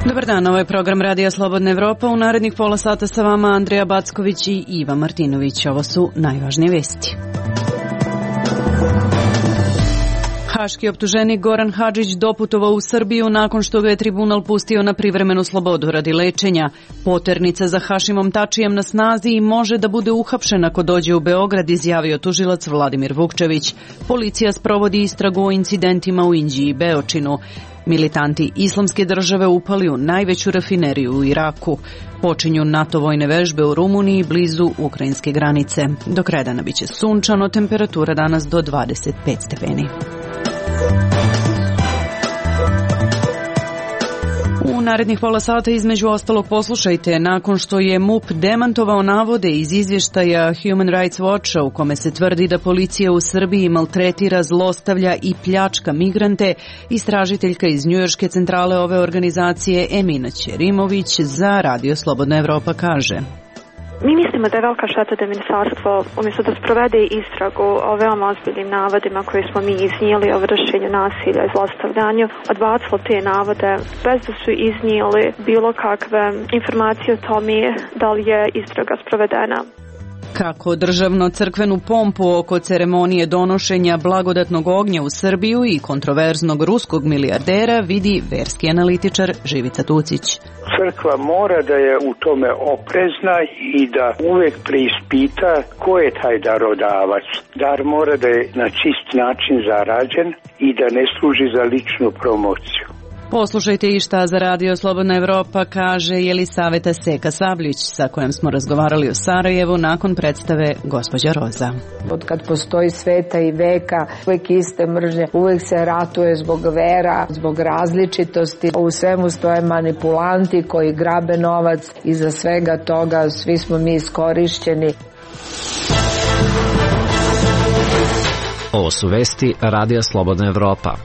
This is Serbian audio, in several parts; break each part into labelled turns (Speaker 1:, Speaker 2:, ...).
Speaker 1: Dobar dan, ovo je program Radija Slobodna Evropa. U narednih pola sata sa vama Andreja Backović i Iva Martinović. Ovo su najvažnije vesti. Haški optuženik Goran Hadžić doputovao u Srbiju nakon što ga je tribunal pustio na privremenu slobodu radi lečenja. Poternica za Hašimom Tačijem na snazi i može da bude uhapšen ako dođe u Beograd, izjavio tužilac Vladimir Vukčević. Policija sprovodi istragu o incidentima u Inđiji i Beočinu. Militanti Islamske države upali u najveću rafineriju u Iraku. Počinju NATO vojne vežbe u Rumuniji blizu ukrajinske granice. Do kraja dana biće sunčano, temperatura danas do 25 stepeni. U narednih pola sata između ostalog poslušajte, nakon što je MUP demantovao navode iz izvještaja Human Rights Watcha u kome se tvrdi da policija u Srbiji maltretira, zlostavlja i pljačka migrante, istražiteljka iz njujorške centrale ove organizacije Emina Ćerimović za Radio Slobodna Evropa kaže:
Speaker 2: Mi mislimo da je velika šteta da ministarstvo, umjesto da sprovede istragu o veoma ozbiljnim navodima koje smo mi iznijeli o vršenju nasilja i zlostavljanju, odbacilo te navode bez da su iznijeli bilo kakve informacije o tome da li je istraga sprovedena.
Speaker 1: Kako državno-crkvenu pompu oko ceremonije donošenja blagodatnog ognja u Srbiju i kontroverznog ruskog milijardera vidi verski analitičar Živica Tucić.
Speaker 3: Crkva mora da je u tome oprezna i da uvek preispita ko je taj darodavac. Dar mora da je na čist način zarađen i da ne služi za ličnu promociju.
Speaker 1: Poslušajte i šta za Radio Slobodna Evropa kaže Jelisaveta Seka Sabljić, sa kojom smo razgovarali u Sarajevu nakon predstave Gospođa Roza.
Speaker 4: Od kad postoji sveta i veka, uvek iste mržnje, uvek se ratuje zbog vera, zbog različitosti. U svemu stoje manipulanti koji grabe novac i za svega toga svi smo mi iskorišćeni.
Speaker 5: Ovo su vesti Radija Slobodna Evropa.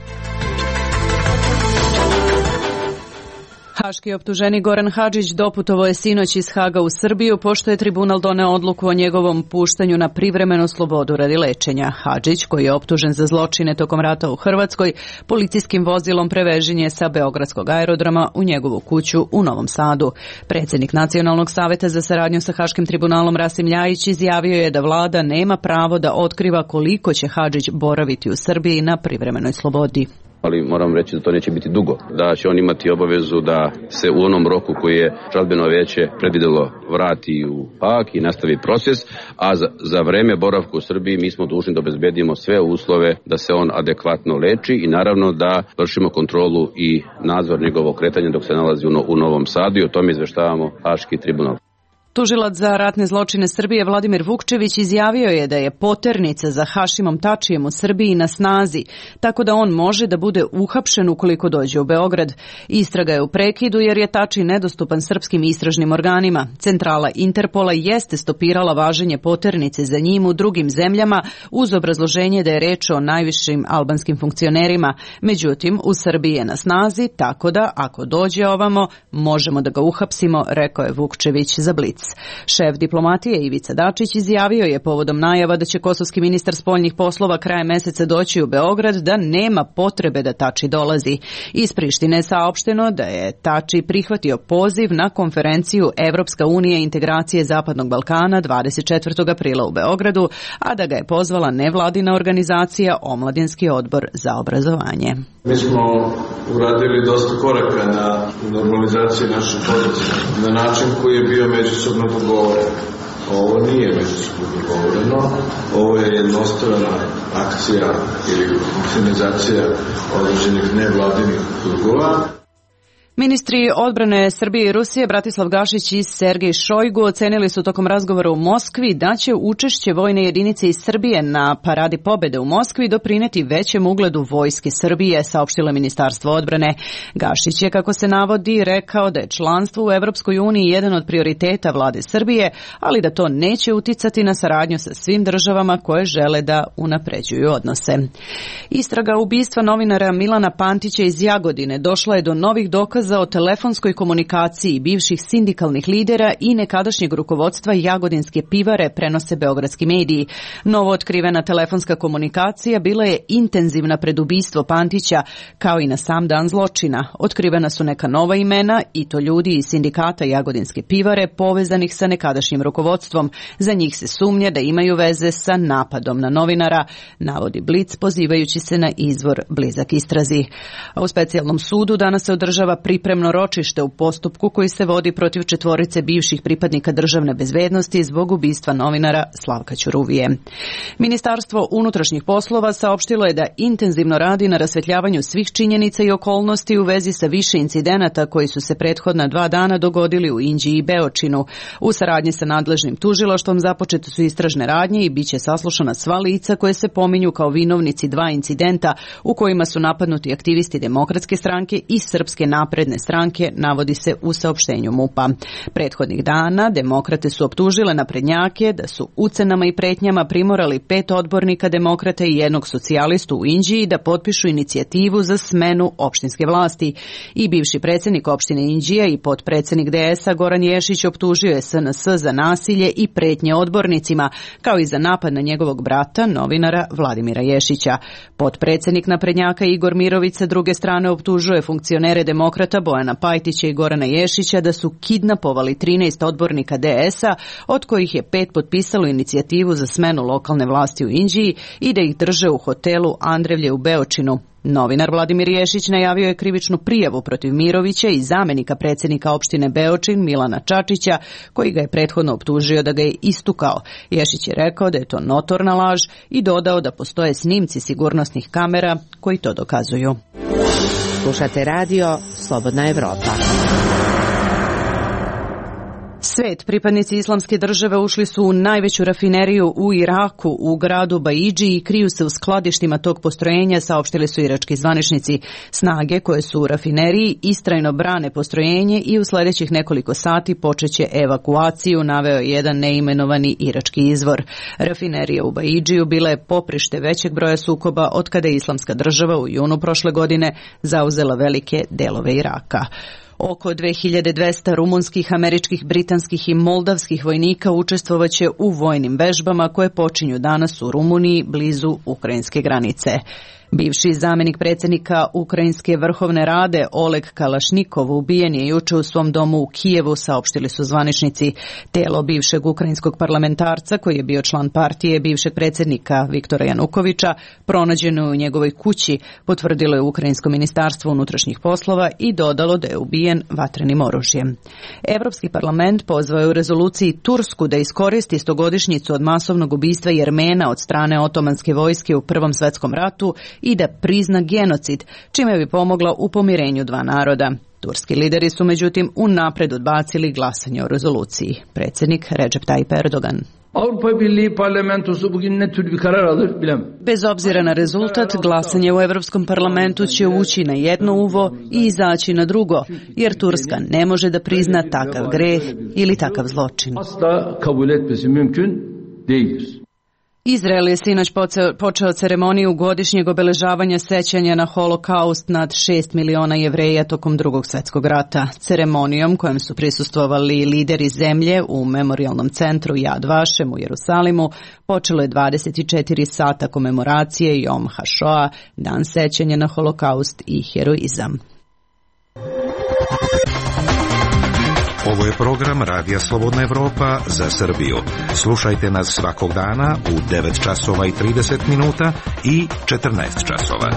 Speaker 1: Haški optuženik Goran Hadžić doputovao je sinoć iz Haga u Srbiju pošto je tribunal doneo odluku o njegovom puštanju na privremenu slobodu radi lečenja. Hadžić, koji je optužen za zločine tokom rata u Hrvatskoj, policijskim vozilom prevežen je sa beogradskog aerodroma u njegovu kuću u Novom Sadu. Predsjednik Nacionalnog saveta za saradnju sa Haškim tribunalom Rasim Ljajić izjavio je da vlada nema pravo da otkriva koliko će Hadžić boraviti u Srbiji na privremenoj slobodi.
Speaker 6: Ali moram reći da to neće biti dugo, da će on imati obavezu da se u onom roku koji je žalbeno vijeće predvidelo vrati u Hag i nastavi proces, a za vreme boravka u Srbiji mi smo dužni da obezbedimo sve uslove da se on adekvatno leči i naravno da vršimo kontrolu i nadzor njegovog kretanja dok se nalazi u Novom Sadu i o tome izveštavamo Haški tribunal.
Speaker 1: Tužilac za ratne zločine Srbije Vladimir Vukčević izjavio je da je poternica za Hašimom Tačijem u Srbiji na snazi, tako da on može da bude uhapšen ukoliko dođe u Beograd. Istraga je u prekidu jer je Tači nedostupan srpskim istražnim organima. Centrala Interpola jeste stopirala važenje poternice za njim u drugim zemljama uz obrazloženje da je reč o najvišim albanskim funkcionerima. Međutim, u Srbiji je na snazi, tako da ako dođe ovamo možemo da ga uhapsimo, rekao je Vukčević za Blic. Šef diplomatije Ivica Dačić izjavio je povodom najava da će kosovski ministar spoljnih poslova krajem meseca doći u Beograd da nema potrebe da Tači dolazi. Iz Prištine je saopšteno da je Tači prihvatio poziv na konferenciju Evropska unija i integracije Zapadnog Balkana 24. aprila u Beogradu, a da ga je pozvala nevladina organizacija Omladinski odbor za obrazovanje.
Speaker 7: Mi smo uradili dosta koraka na normalizaciji naših odnosa na način koji je bio međusobno dogovoren. Ovo nije međusobno dogovoreno, ovo je jednostrana akcija ili organizacija određenih nevladinih krugova.
Speaker 1: Ministri odbrane Srbije i Rusije Bratislav Gašić i Sergej Šojgu ocenili su tokom razgovora u Moskvi da će učešće vojne jedinice iz Srbije na Paradi pobede u Moskvi doprineti većem ugledu vojske Srbije, saopštilo Ministarstvo odbrane. Gašić je, kako se navodi, rekao da je članstvo u Evropskoj uniji jedan od prioriteta vlade Srbije, ali da to neće uticati na saradnju sa svim državama koje žele da unapređuju odnose. Istraga ubistva novinara Milana Pantića iz Jagodine došla je do novih dokaza dokaza o telefonskoj komunikaciji bivših sindikalnih lidera i nekadašnjeg rukovodstva Jagodinske pivare, prenose beogradski mediji. Novo otkrivena telefonska komunikacija bila je intenzivna pred ubistvo Pantića, kao i na sam dan zločina. Otkrivena su neka nova imena, i to ljudi iz sindikata Jagodinske pivare povezanih sa nekadašnjim rukovodstvom. Za njih se sumnja da imaju veze sa napadom na novinara, navodi Blic pozivajući se na izvor blizak istrazi. A u specijalnom sudu danas se održava pripremno ročište u postupku koji se vodi protiv 4 bivših pripadnika državne bezbednosti zbog ubistva novinara Slavka Ćuruvije. Ministarstvo unutrašnjih poslova saopštilo je da intenzivno radi na rasvetljavanju svih činjenica i okolnosti u vezi sa više incidenata koji su se prethodna 2 dana dogodili u Inđiji i Beočinu. U saradnji sa nadležnim tužilaštvom započete su istražne radnje i biće saslušana sva lica koje se pominju kao vinovnici 2 incidenta u kojima su napadnuti aktivisti Demokratske stranke i Srpske napredne stranke, navodi se u saopštenju MUP-a. Prethodnih dana demokrate su optužile naprednjake da su ucenama i pretnjama primorali 5 odbornika demokrata i 1 socijalistu u Inđiji da potpišu inicijativu za smenu opštinske vlasti. I bivši predsjednik opštine Inđija i potpredsjednik DS-a Goran Ješić optužio je SNS za nasilje i pretnje odbornicima, kao i za napad na njegovog brata, novinara Vladimira Ješića. Potpredsjednik naprednjaka Igor Mirović sa druge strane optužuje funkcionere demokrata Bojana Pajtića i Gorana Ješića da su kidnapovali 13 odbornika DS-a, od kojih je 5 potpisalo inicijativu za smenu lokalne vlasti u Inđiji i da ih drže u hotelu Andrevlje u Beočinu. Novinar Vladimir Ješić najavio je krivičnu prijavu protiv Mirovića i zamenika predsjednika opštine Beočin Milana Čačića, koji ga je prethodno optužio da ga je istukao. Ješić je rekao da je to notorna laž i dodao da postoje snimci sigurnosnih kamera koji to dokazuju.
Speaker 8: Slušate radio Slobodna Evropa.
Speaker 1: Svet, pripadnici Islamske države ušli su u najveću rafineriju u Iraku, u gradu Baidži, i kriju se u skladištima tog postrojenja, saopštili su irački zvaničnici. Snage koje su u rafineriji istrajno brane postrojenje i u sljedećih nekoliko sati počeće evakuaciju, naveo je jedan neimenovani irački izvor. Rafinerija u Baidžiju bila je poprište većeg broja sukoba od kada je Islamska država u junu prošle godine zauzela velike delove Iraka. Oko 2200 rumunskih, američkih, britanskih i moldavskih vojnika učestvovaće u vojnim vežbama koje počinju danas u Rumuniji blizu ukrajinske granice. Bivši zamenik predsjednika Ukrajinske vrhovne rade Oleg Kalašnikov ubijen je juče u svom domu u Kijevu, saopštili su zvaničnici. Telo bivšeg ukrajinskog parlamentarca, koji je bio član partije bivšeg predsjednika Viktora Janukovića, pronađeno je u njegovoj kući, potvrdilo je Ukrajinsko ministarstvo unutrašnjih poslova i dodalo da je ubijen vatrenim oružjem. Evropski parlament pozvao je u rezoluciji Tursku da iskoristi 100-godišnjicu od masovnog ubistva Jermena od strane otomanske vojske u Prvom svjetskom ratu i da prizna genocid, čime bi pomogla u pomirenju 2 naroda. Turski lideri su međutim unapred odbacili glasanje o rezoluciji. Predsjednik Recep Tayyip Erdogan.
Speaker 9: Avrupa Birliği parlamentosu bugün ne tür bir karar alır bilemem.
Speaker 1: Bez obzira na rezultat, glasanje u Europskom parlamentu će ući na jedno uvo i izaći na drugo, jer Turska ne može da prizna takav greh ili takav zločin.
Speaker 9: Asla kabul etmesi mümkün değildir.
Speaker 1: Izrael je sinoć počeo ceremoniju godišnjeg obeležavanja sećanja na holokaust nad 6 miliona Jevreja tokom Drugog svjetskog rata. Ceremonijom kojem su prisustvovali lideri zemlje u memorijalnom centru Yad Vashem u Jerusalimu počelo je 24 sata komemoracije Yom HaShoah, dan sećanja na holokaust i heroizam.
Speaker 10: Ovo je program Radija Slobodna Evropa za Srbiju. Slušajte nas svakog dana u 9 časova i 30 minuta i 14 časova.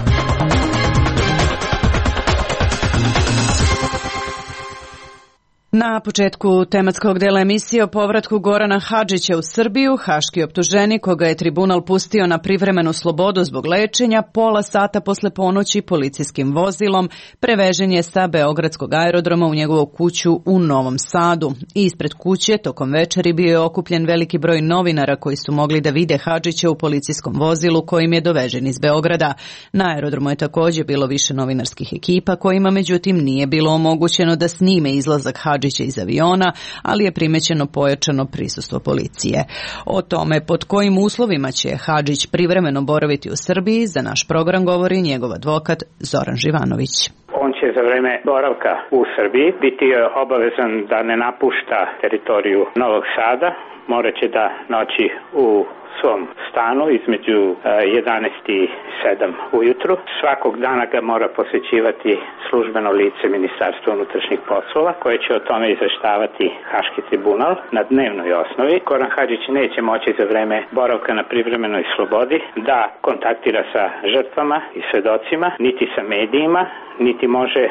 Speaker 1: Na početku tematskog dela emisije o povratku Gorana Hadžića u Srbiju, haški optuženik koga je tribunal pustio na privremenu slobodu zbog lečenja, pola sata posle ponoći policijskim vozilom prevežen je sa beogradskog aerodroma u njegovu kuću u Novom Sadu. Ispred kuće tokom večeri bio je okupljen veliki broj novinara koji su mogli da vide Hadžića u policijskom vozilu kojim je dovežen iz Beograda. Na aerodromu je također bilo više novinarskih ekipa kojima međutim nije bilo omogućeno da snime izlazak Hadžića iz aviona, ali je primećeno pojačano prisustvo policije. O tome pod kojim uslovima će Hadžić privremeno boraviti u Srbiji za naš program govori njegov advokat Zoran Živanović.
Speaker 11: On će će za vreme boravka u Srbiji biti obavezan da ne napušta teritoriju Novog Sada, moraće da noći u svom stanu između 11 i 7 ujutru. Svakog dana ga mora posjećivati službeno lice Ministarstva unutrašnjih poslova koje će o tome izveštavati Haški tribunal na dnevnoj osnovi. Goran Hadžić neće moći za vreme boravka na privremenoj slobodi da kontaktira sa žrtvama i svedocima, niti sa medijima, niti može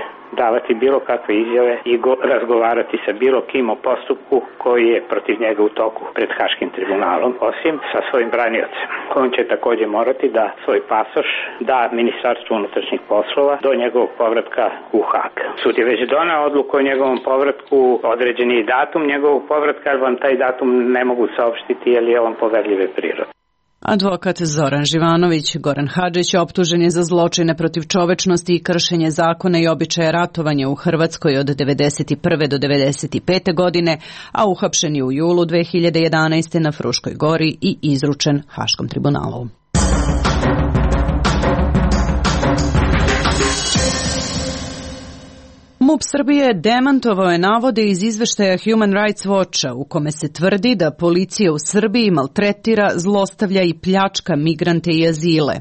Speaker 11: davati bilo kakve izjave i razgovarati sa bilo kim o postupku koji je protiv njega u toku pred Haškim tribunalom, osim sa svojim braniocem. On će također morati da svoj pasoš da Ministarstvu unutrašnjih poslova do njegovog povratka u Hag. Sud je već doneo odluku o njegovom povratku, određen je datum njegovog povratka, ali vam taj datum ne mogu saopštiti jer je on poverljive prirode.
Speaker 1: Advokat Zoran Živanović. Goran Hadžić optužen je za zločine protiv čovečnosti i kršenje zakona i običaja ratovanja u Hrvatskoj od 1991. do 1995. godine, a uhapšen je u julu 2011. na Fruškoj gori i izručen Haškom tribunalu. MUP Srbije demantovao je navode iz izveštaja Human Rights Watcha u kome se tvrdi da policija u Srbiji maltretira, zlostavlja i pljačka migrante i azile.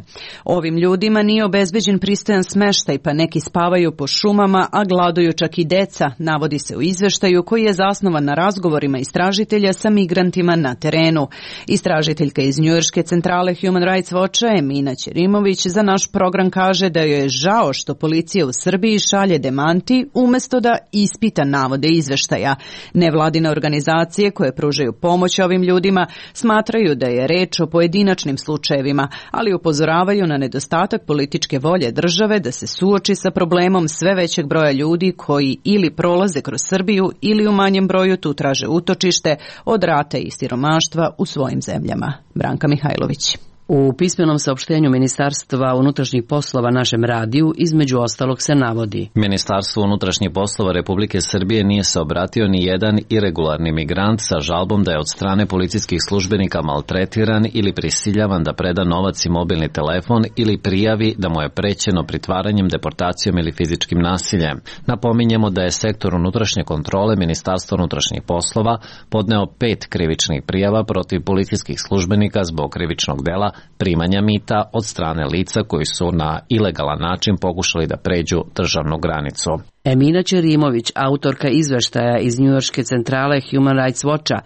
Speaker 1: Ovim ljudima nije obezbeđen pristojan smeštaj, pa neki spavaju po šumama, a gladuju čak i deca, navodi se u izveštaju koji je zasnovan na razgovorima istražitelja sa migrantima na terenu. Istražiteljka iz njujorške centrale Human Rights Watcha Emina Ćerimović za naš program kaže da joj je žao što policija u Srbiji šalje demanti umesto da ispita navode izveštaja. Nevladine organizacije koje pružaju pomoć ovim ljudima smatraju da je reč o pojedinačnim slučajevima, ali upozoravaju na nedostatak političke volje države da se suoči sa problemom sve većeg broja ljudi koji ili prolaze kroz Srbiju ili u manjem broju tu traže utočište od rata i siromaštva u svojim zemljama. Branka Mihajlović.
Speaker 12: U pismenom saopštenju Ministarstva unutrašnjih poslova našem radiju između ostalog se navodi:
Speaker 5: Ministarstvo unutrašnjih poslova Republike Srbije nije se obratio ni jedan iregularni migrant sa žalbom da je od strane policijskih službenika maltretiran ili prisiljavan da preda novac i mobilni telefon ili prijavi da mu je prećeno pritvaranjem, deportacijom ili fizičkim nasiljem. Napominjemo da je sektor unutrašnje kontrole Ministarstva unutrašnjih poslova podneo 5 krivičnih prijava protiv policijskih službenika zbog krivičnog dela primanja mita od strane lica koji su na ilegalan način pokušali da pređu državnu granicu.
Speaker 12: Emina Ćerimović, autorka izveštaja iz njujorške centrale Human Rights Watcha,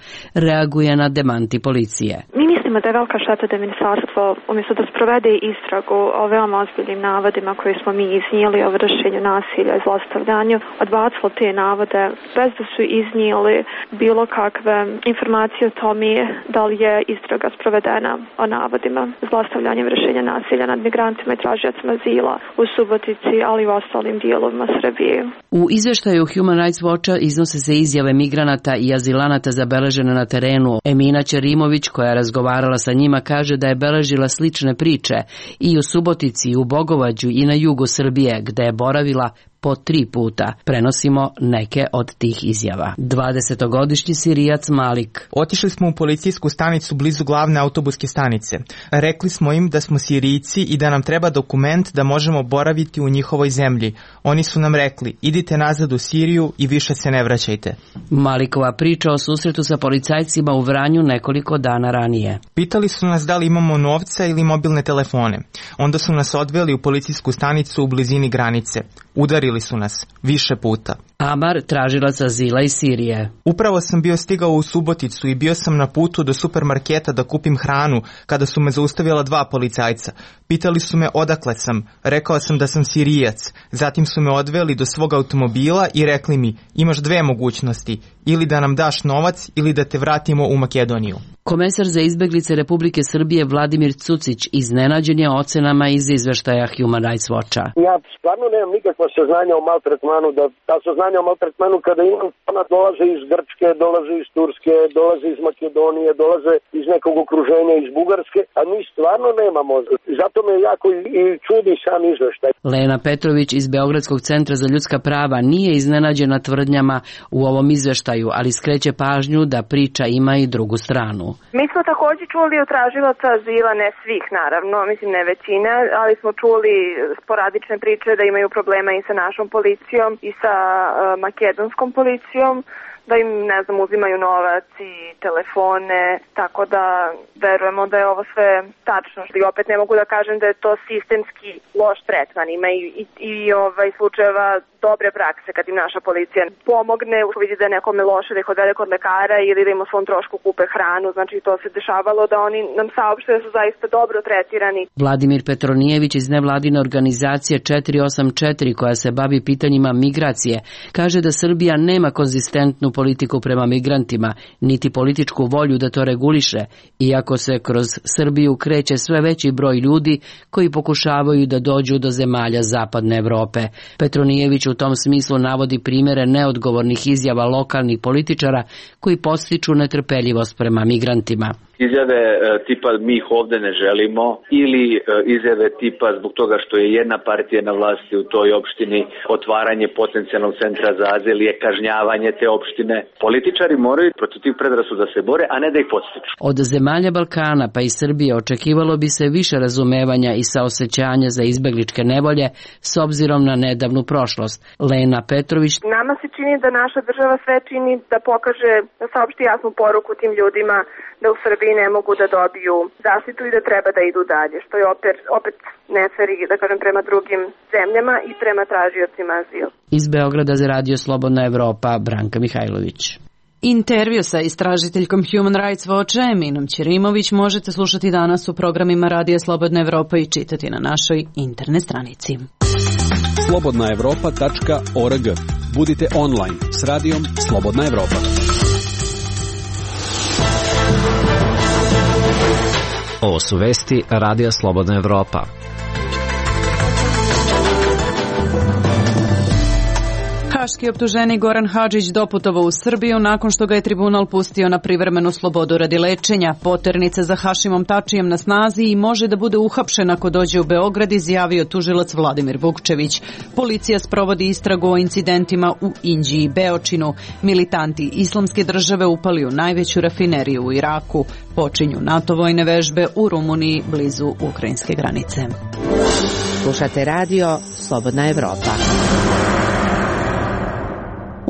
Speaker 12: reaguje na demanti policije.
Speaker 2: Mi mislimo da je velika šteta da ministarstvo, umjesto da sprovede istragu o veoma ozbiljnim navodima koje smo mi iznijeli o vršenju nasilja i zlostavljanju, odbacilo te navode bez da su iznijeli bilo kakve informacije o tome da li je istraga sprovedena o navodima zlostavljanja i vršenja nasilja nad migrantima i tražiocima azila u Subotici, ali i u ostalim dijelovima Srbije.
Speaker 12: U izveštaju Human Rights Watcha iznose se izjave migranata i azilanata zabeležene na terenu. Emina Ćerimović, koja je razgovarala sa njima, kaže da je beležila slične priče i u Subotici, i u Bogovađu i na jugu Srbije, gde je boravila po 3 puta. Prenosimo neke od tih izjava. 20-godišnji Sirijac Malik.
Speaker 13: Otišli smo u policijsku stanicu blizu glavne autobuske stanice. Rekli smo im da smo Sirijci i da nam treba dokument da možemo boraviti u njihovoj zemlji. Oni su nam rekli, idite nazad u Siriju i više se ne vraćajte.
Speaker 12: Malikova priča o susretu sa policajcima u Vranju nekoliko dana ranije.
Speaker 13: Pitali su nas da li imamo novca ili mobilne telefone. Onda su nas odveli u policijsku stanicu u blizini granice. Udarili su nas više puta.
Speaker 12: Amar, tražilac azila iz Sirije.
Speaker 13: Upravo sam bio stigao u Suboticu i bio sam na putu do supermarketa da kupim hranu kada su me zaustavila 2 policajca. Pitali su me odakle sam. Rekao sam da sam Sirijac. Zatim su me odveli do svog automobila i rekli mi, imaš 2 mogućnosti. Ili da nam daš novac ili da te vratimo u Makedoniju.
Speaker 12: Komesar za izbeglice Republike Srbije Vladimir Cucić iznenađen je ocenama iz izveštaja Human Rights Watcha.
Speaker 14: Ja stvarno nemam nikakva saznanja o maltretmanu, da ta saznanja o maltretmanu kada imam, ona dolaze iz Grčke, dolaze iz Turske, dolaze iz Makedonije, dolaze iz nekog okruženja, iz Bugarske, a mi stvarno nemamo. Zato me jako i čudi sam izveštaj.
Speaker 12: Lena Petrović iz Beogradskog centra za ljudska prava nije iznenađena tvrdnjama u ovom izveštaju, ali skreće pažnju da priča ima i drugu stranu.
Speaker 15: Mi smo takođe čuli od tražilaca azila, ne svih naravno, mislim ne većina, ali smo čuli sporadične priče da imaju problema i sa našom policijom i sa makedonskom policijom, da im, ne znam, uzimaju novac i telefone, tako da verujemo da je ovo sve tačno. I opet ne mogu da kažem da je to sistemski loš tretman. Ima i slučajeva dobre prakse kad im naša policija pomogne, vidi da je nekome loše, da ih odvede kod lekara ili da im o svom trošku kupe hranu. Znači to se dešavalo da oni nam saopšte da su zaista dobro tretirani.
Speaker 12: Vladimir Petronijević iz nevladine organizacije 484 koja se bavi pitanjima migracije kaže da Srbija nema konzistentnu politiku prema migrantima, niti političku volju da to reguliše, iako se kroz Srbiju kreće sve veći broj ljudi koji pokušavaju da dođu do zemalja zapadne Evrope. Petronijević u tom smislu navodi primere neodgovornih izjava lokalnih političara koji podstiču netrpeljivost prema migrantima.
Speaker 16: Izjave tipa mi ih ovde ne želimo ili izjave tipa zbog toga što je jedna partija na vlasti u toj opštini, otvaranje potencijalnog centra za azil je kažnjavanje te opštine. Političari moraju protiv tih predrasuda da se bore, a ne da ih podstiču.
Speaker 12: Od zemalja Balkana pa i Srbije očekivalo bi se više razumevanja i saosećanja za izbegličke nevolje s obzirom na nedavnu prošlost. Lena Petrović:
Speaker 15: Nama se čini da naša država sve čini da pokaže, da saopšti jasnu poruku tim ljudima da u Srbiji ne mogu da dobiju zaštitu i da treba da idu dalje, što je opet nefer, da kažem, prema drugim zemljama i prema tražiocima azila.
Speaker 12: Iz Beograda za Radio Slobodna Evropa, Branka Mihajlović.
Speaker 1: Intervju sa istražiteljkom Human Rights Watcha Eminom Ćerimović možete slušati danas u programima Radija Slobodna Evropa i čitati na našoj internet stranici.
Speaker 17: slobodnaevropa.org. Budite online s radijom Slobodna Evropa.
Speaker 5: Ovo su vesti Radija Slobodna Evropa.
Speaker 1: Haški optuženik Goran Hadžić doputovao u Srbiju nakon što ga je tribunal pustio na privremenu slobodu radi lečenja. Poternica za Hašimom Tačijem na snazi i može da bude uhapšen ako dođe u Beograd, izjavio tužilac Vladimir Vukčević. Policija sprovodi istragu o incidentima u Inđiji i Beočinu. Militanti Islamske države upali u najveću rafineriju u Iraku. Počinju NATO vojne vežbe u Rumuniji blizu ukrajinske granice.
Speaker 8: Slušate radio Slobodna Evropa.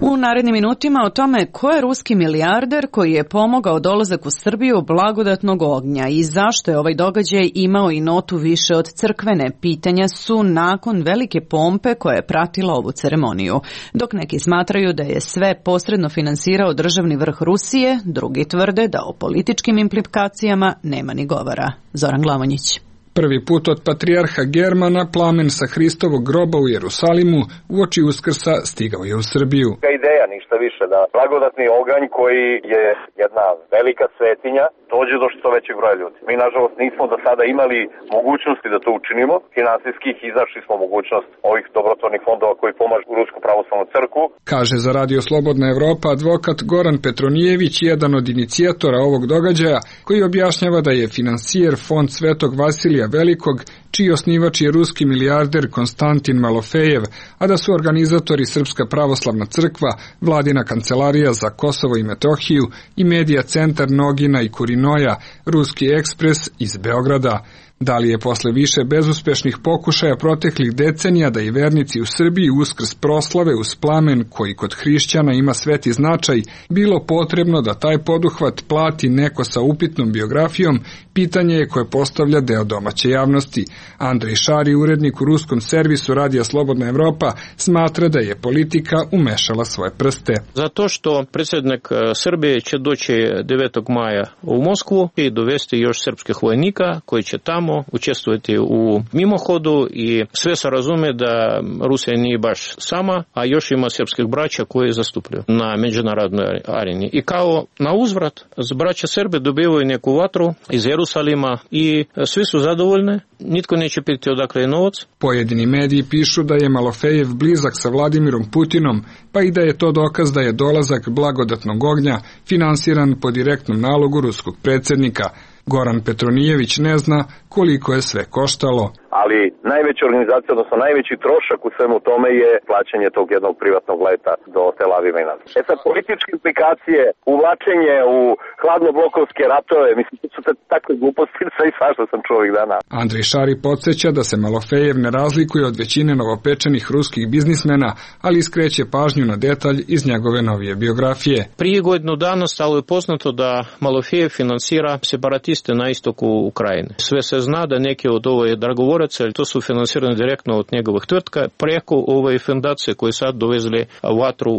Speaker 1: U narednim minutima o tome ko je ruski milijarder koji je pomogao dolazak u Srbiju blagodatnog ognja i zašto je ovaj događaj imao i notu više od crkvene. Pitanja su nakon velike pompe koja je pratila ovu ceremoniju. Dok neki smatraju da je sve posredno finansirao državni vrh Rusije, drugi tvrde da o političkim implikacijama nema ni govora. Zoran Glavonjić.
Speaker 18: Prvi put od patrijarha Germana plamen sa Hristovog groba u Jerusalimu uoči Uskrsa stigao je u Srbiju.
Speaker 19: Ideja, ništa više, da blagodatni oganj koji je jedna velika svetinja dođe do što većeg broja ljudi. Mi, nažalost, nismo do sada imali mogućnosti da to učinimo. Finansijskih izašli smo mogućnost ovih dobrotvornih fondova koji pomažu Rusku pravoslavnu crkvu.
Speaker 18: Kaže za Radio Slobodna Evropa advokat Goran Petronijević, jedan od inicijatora ovog događaja, koji objašnjava da je finansijer fond Svetog Vasilija Velikog, čiji osnivač je ruski milijarder Konstantin Malofejev, a da su organizatori Srpska pravoslavna crkva, vladina kancelarija za Kosovo i Metohiju i medija centar Nogina i Kurinoja, Ruski ekspres iz Beograda. Da li je posle više bezuspešnih pokušaja proteklih decenija da i vernici u Srbiji Uskrs proslave uz plamen koji kod hrišćana ima sveti značaj, bilo potrebno da taj poduhvat plati neko sa upitnom biografijom, pitanje je koje postavlja deo domaće javnosti. Andrej Šari, urednik u ruskom servisu Radija Slobodna Evropa, smatra da je politika umešala svoje prste.
Speaker 20: Zato što predsjednik Srbije će doći 9. maja u Moskvu i dovesti još srpskih vojnika koji će tamo učestvovati u mimohodu i sve se razume da Rusija nije baš sama, a još ima srpskih braća koji zastupljaju na međunarodnoj areni. I kao na uzvrat, braća Srbe dobivaju neku vatru iz Jerusalima i svi su zadovoljni, nitko neće pitati odakle je novac.
Speaker 18: Pojedini mediji pišu da je Malofejev blizak sa Vladimirom Putinom, pa i da je to dokaz da je dolazak blagodatnog ognja finansiran po direktnom nalogu ruskog predsjednika. Goran Petronijević ne zna koliko je sve koštalo.
Speaker 19: ali najveća organizacija, odnosno najveći trošak u svemu tome je plaćanje tog jednog privatnog leta do Tel Aviva i nazad. Sad, političke implikacije, uvlačenje u hladnoblokovske ratove, mislim, to su takve gluposti, sve i svašta sam čuo ovih dana.
Speaker 18: Andrej Šari podsjeća da se Malofejev ne razlikuje od većine novopečenih ruskih biznismena, ali iskreće pažnju na detalj iz njegove novije biografije.
Speaker 20: Prije godinu dana stalo je poznato da Malofejev finansira separatiste na istoku Ukrajine. Sve se zna da neki od ove dragovoraca, to su finansirani direktno od njegovih tvrtka preko ove fondacije koje sad dovezli vatru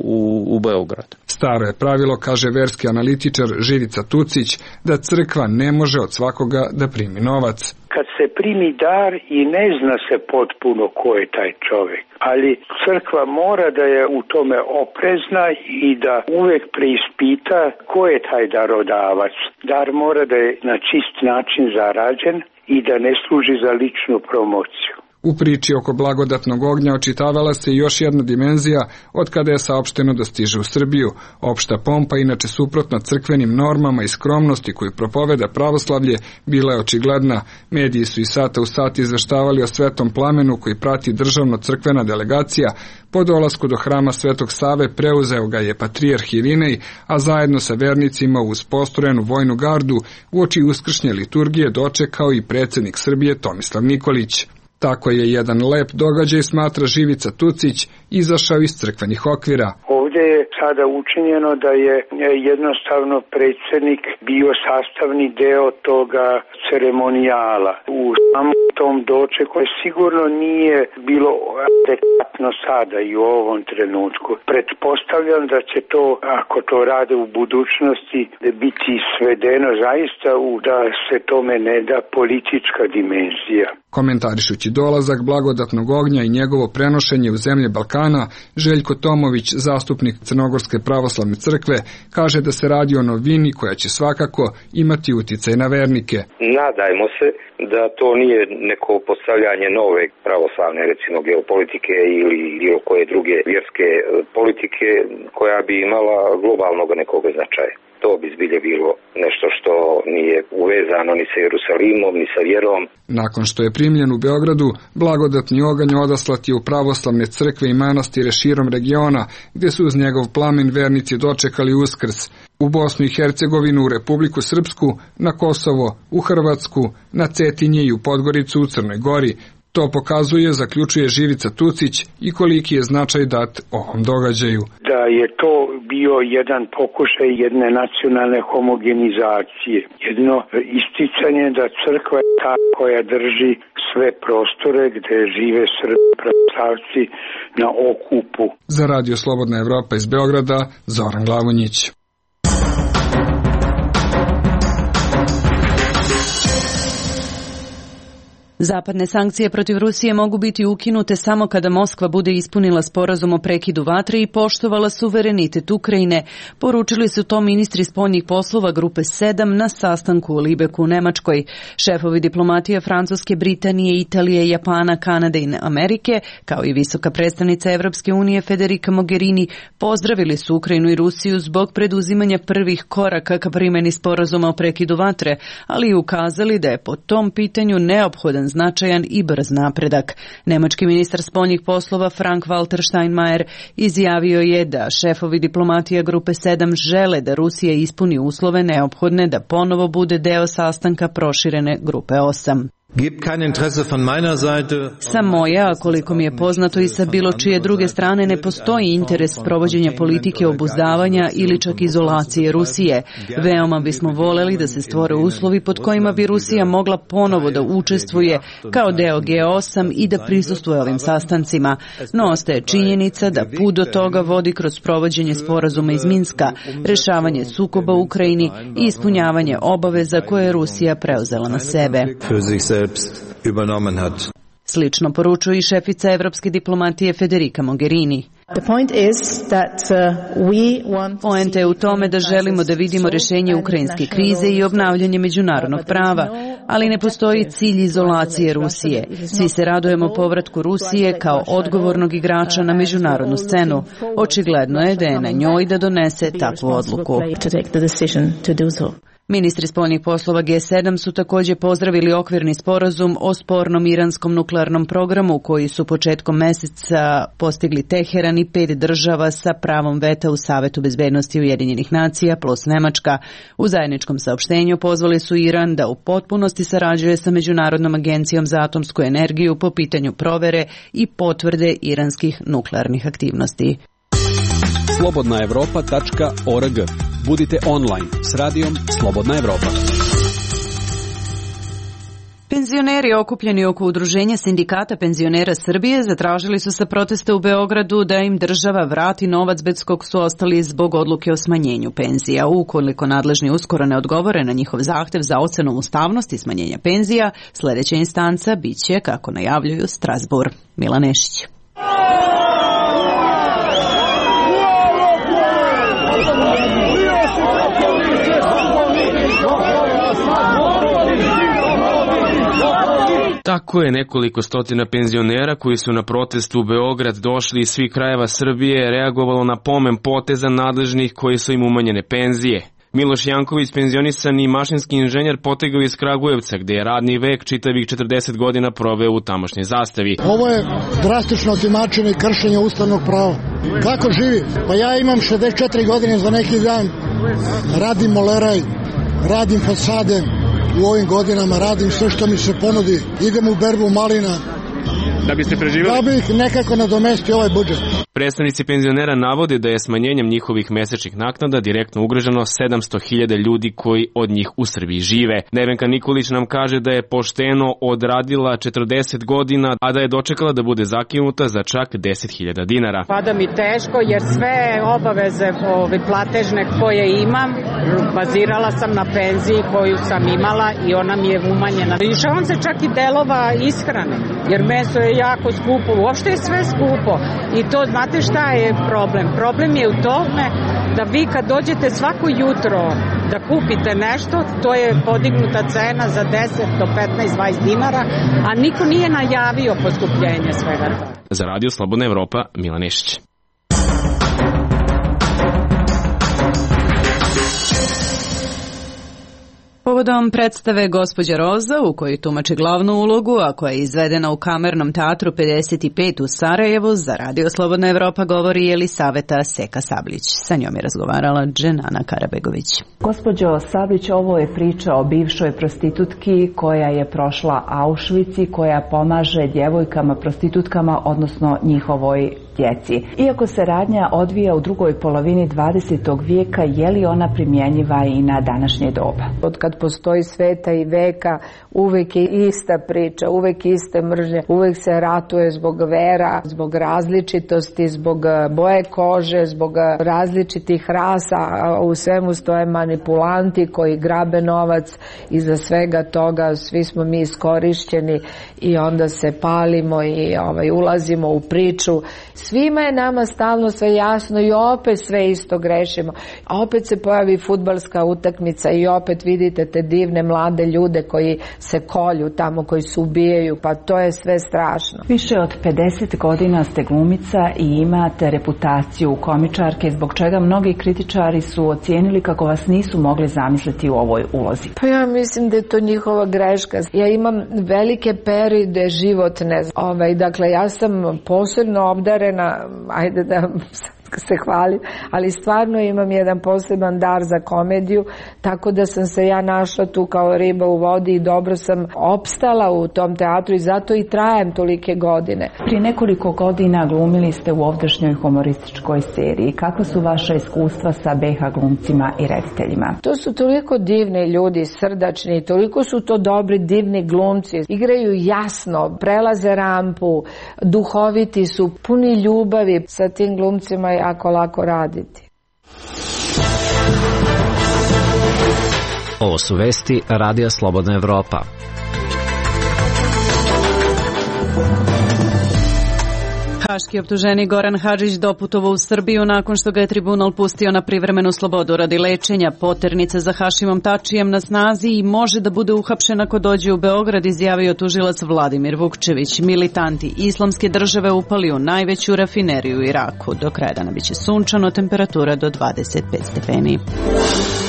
Speaker 20: u Beograd.
Speaker 18: Staro je pravilo, kaže verski analitičar Živica Tucić, da crkva ne može od svakoga da primi novac.
Speaker 3: Kad se primi dar i ne zna se potpuno ko je taj čovjek, ali crkva mora da je u tome oprezna i da uvek preispita ko je taj darodavac. Dar mora da je na čist način zarađen i da ne služi za ličnu promociju.
Speaker 18: U priči oko blagodatnog ognja očitavala se još jedna dimenzija od kada je saopšteno da stiže u Srbiju. Opšta pompa, inače suprotna crkvenim normama i skromnosti koju propoveda pravoslavlje, bila je očigledna. Mediji su iz sata u sat izveštavali o svetom plamenu koji prati državno-crkvena delegacija. Po dolasku do hrama Svetog Save preuzeo ga je patrijarh Irinej, a zajedno sa vernicima uz postrojenu vojnu gardu uoči uskršnje liturgije dočekao i predsjednik Srbije Tomislav Nikolić. Tako je jedan lep događaj, smatra Živica Tucić, izašao iz crkvenih okvira.
Speaker 3: Ovdje je sada učinjeno da je jednostavno predsjednik bio sastavni deo toga ceremonijala. U samom tom dočeku sigurno nije bilo adekvatno sada i u ovom trenutku. Pretpostavljam da će to, ako to rade u budućnosti, biti svedeno zaista da se tome ne da politička dimenzija.
Speaker 18: Komentarišući dolazak blagodatnog ognja i njegovo prenošenje u zemlje Balkana, Željko Tomović, zastupnik Crnogorske pravoslavne crkve, kaže da se radi o novini koja će svakako imati uticaj na vernike.
Speaker 21: Nadajmo se da to nije neko postavljanje nove pravoslavne, recimo geopolitike ili bilo koje druge vjerske politike koja bi imala globalnog nekog značaja. To bi zbilje bilo nešto što nije uvezano ni sa Jerusalimom, ni sa vjerom.
Speaker 18: Nakon što je primljen u Beogradu, blagodatni oganj odaslat je u pravoslavne crkve i manastire širom regiona, gdje su uz njegov plamen vernici dočekali Uskrs. U Bosnu i Hercegovinu, u Republiku Srpsku, na Kosovo, u Hrvatsku, na Cetinje i u Podgoricu u Crnoj Gori. To pokazuje, zaključuje Živica Tucić, i koliki je značaj dat ovom događaju.
Speaker 3: Da je to bio jedan pokušaj jedne nacionalne homogenizacije, jedno isticanje da crkva je ta koja drži sve prostore gde žive Srbi pravoslavci na okupu.
Speaker 18: Za Radio Slobodna Evropa iz Beograda, Zoran Glavonjić.
Speaker 1: Zapadne sankcije protiv Rusije mogu biti ukinute samo kada Moskva bude ispunila sporazum o prekidu vatre i poštovala suverenitet Ukrajine, poručili su to ministri spoljnih poslova Grupe 7 na sastanku u Libeku u Nemačkoj. Šefovi diplomatije Francuske, Britanije, Italije, Japana, Kanade i Amerike, kao i visoka predstavnica Evropske unije Federica Mogherini, pozdravili su Ukrajinu i Rusiju zbog preduzimanja prvih koraka ka primjeni sporazuma o prekidu vatre, ali i ukazali da je po tom pitanju neophodan značajan i brz napredak. Nemački ministar spoljnih poslova Frank-Walter Steinmeier izjavio je da šefovi diplomatija Grupe 7 žele da Rusija ispuni uslove neophodne da ponovo bude deo sastanka proširene Grupe 8. Sa moje, a koliko mi je poznato i sa bilo čije druge strane, ne postoji interes provođenja politike obuzdavanja ili čak izolacije Rusije. Veoma bismo voleli da se stvore uslovi pod kojima bi Rusija mogla ponovo da učestvuje kao deo G8 i da prisustvuje ovim sastancima. No ostaje činjenica da put do toga vodi kroz provođenje sporazuma iz Minska, rešavanje sukoba u Ukrajini i ispunjavanje obaveza koje je Rusija preuzela na sebe. Slično poručuje i šefica evropske diplomatije Federica Mogherini. Poenta je u tome da želimo da vidimo rješenje ukrajinske krize i obnavljanje međunarodnog prava, ali ne postoji cilj izolacije Rusije. Svi se radujemo povratku Rusije kao odgovornog igrača na međunarodnu scenu. Očigledno je da je na njoj da donese takvu odluku. Ministri spoljnih poslova G7 su također pozdravili okvirni sporazum o spornom iranskom nuklearnom programu koji su početkom meseca postigli Teheran i 5 država sa pravom veta u Savetu bezbednosti Ujedinjenih nacija plus Nemačka. U zajedničkom saopštenju pozvali su Iran da u potpunosti sarađuje sa Međunarodnom agencijom za atomsku energiju po pitanju provere i potvrde iranskih nuklearnih aktivnosti.
Speaker 17: slobodnaevropa.org. Budite online s radijom Slobodna Evropa.
Speaker 1: Penzioneri okupljeni oko udruženja sindikata penzionera Srbije zatražili su sa protesta u Beogradu da im država vrati novac bez kog su ostali zbog odluke o smanjenju penzija. Ukoliko nadležni uskoro ne odgovore na njihov zahtev za ocenom ustavnosti smanjenja penzija, sljedeća instanca biće, kako najavljuju, Strasbourg. Milan Nešić.
Speaker 4: Tako je nekoliko stotina penzionera koji su na protestu u Beograd došli iz svih krajeva Srbije reagovalo na pomen poteza nadležnih koji su im umanjene penzije. Miloš Janković, penzionisani mašinski inženjer, potegao iz Kragujevca, gde je radni vek čitavih 40 godina proveo u tamošnjoj Zastavi.
Speaker 22: Ovo je drastično otimačenje i kršenje ustavnog prava. Kako živi? Pa ja imam 64 godine za neki dan, radim moleraj, radim fasade, u ovim godinama radim sve što mi se ponudi, idem u berbu malina.
Speaker 4: Da biste preživjeli?
Speaker 22: Da bih nekako nadomestio ovaj budžet.
Speaker 4: Predstavnici penzionera navode da je smanjenjem njihovih mesečnih naknada direktno ugroženo 700.000 ljudi koji od njih u Srbiji žive. Nevenka Nikolić nam kaže da je pošteno odradila 40 godina, a da je dočekala da bude zakinuta za čak 10.000 dinara.
Speaker 23: Pada mi teško jer sve obaveze platežne koje imam bazirala sam na penziji koju sam imala i ona mi je umanjena. Lišavam se čak i delova ishrane jer meso je jako skupo, uopšte je sve skupo i to znate šta je problem? Problem je u tome da vi kad dođete svako jutro da kupite nešto, to je podignuta cena za 10 do 15, 20 dinara, a niko nije najavio poskupljenje svega toga.
Speaker 4: Za Radio Slobodna Evropa, Milan Nešić.
Speaker 1: Povodom predstave Gospođa Roza, u kojoj tumači glavnu ulogu, a koja je izvedena u Kamernom teatru 55 u Sarajevu, za Radio Slobodna Evropa govori Jelisaveta Seka Sablić. Sa njom je razgovarala Dženana Karabegović.
Speaker 24: Gospođo Sablić, ovo je priča o bivšoj prostitutki koja je prošla Auschwitz i koja pomaže djevojkama prostitutkama, odnosno njihovoj djeci. Iako se radnja odvija u drugoj polovini 20. vijeka, je li ona primjenjiva i na današnje doba?
Speaker 25: Od kad postoji sveta i veka, uvek je ista priča, uvek iste mržnje, uvek se ratuje zbog vera, zbog različitosti, zbog boje kože, zbog različitih rasa, a u svemu stoje manipulanti koji grabe novac i za svega toga svi smo mi iskorišćeni i onda se palimo i ulazimo u priču. Svima je nama stalno sve jasno i opet sve isto grešimo. A opet se pojavi fudbalska utakmica i opet vidite te divne mlade ljude koji se kolju tamo, koji se ubijaju, pa to je sve strašno.
Speaker 24: Više od 50 godina ste glumica i imate reputaciju komičarke, zbog čega mnogi kritičari su ocijenili kako vas nisu mogli zamisliti u ovoj ulozi.
Speaker 25: Pa ja mislim da je to njihova greška. Ja imam velike periode životne. Dakle, ja sam posebno obdarena, ajde da se hvalim, ali stvarno imam jedan poseban dar za komediju, tako da sam se ja našla tu kao riba u vodi i dobro sam opstala u tom teatru i zato i trajem tolike godine.
Speaker 24: Prije nekoliko godina glumili ste u ovdašnjoj humorističkoj seriji. Kako su vaša iskustva sa BH glumcima i rediteljima?
Speaker 25: To su toliko divni ljudi, srdačni, toliko su to dobri, divni glumci. Igraju jasno, prelaze rampu, duhoviti su, puni ljubavi. Sa tim glumcima je jako lako raditi.
Speaker 5: Ovo su vesti Radija Slobodna Evropa.
Speaker 1: Haški optuženik Goran Hadžić doputovao u Srbiju nakon što ga je tribunal pustio na privremenu slobodu radi lečenja. Poternica za Hašimom Tačijem na snazi i može da bude uhapšen ako dođe u Beograd, izjavio tužilac Vladimir Vukčević. Militanti Islamske države upali u najveću rafineriju u Iraku. Do kraja dana biće sunčano, temperatura do 25 stepeni.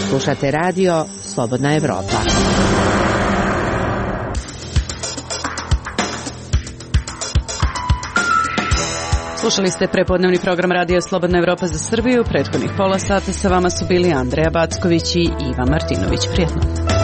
Speaker 8: Slušate radio Slobodna Evropa.
Speaker 1: Slušali ste prepodnevni program Radio Slobodna Evropa za Srbiju. Prethodnih pola sata sa vama su bili Andreja Backović i Iva Martinović. Prijetno.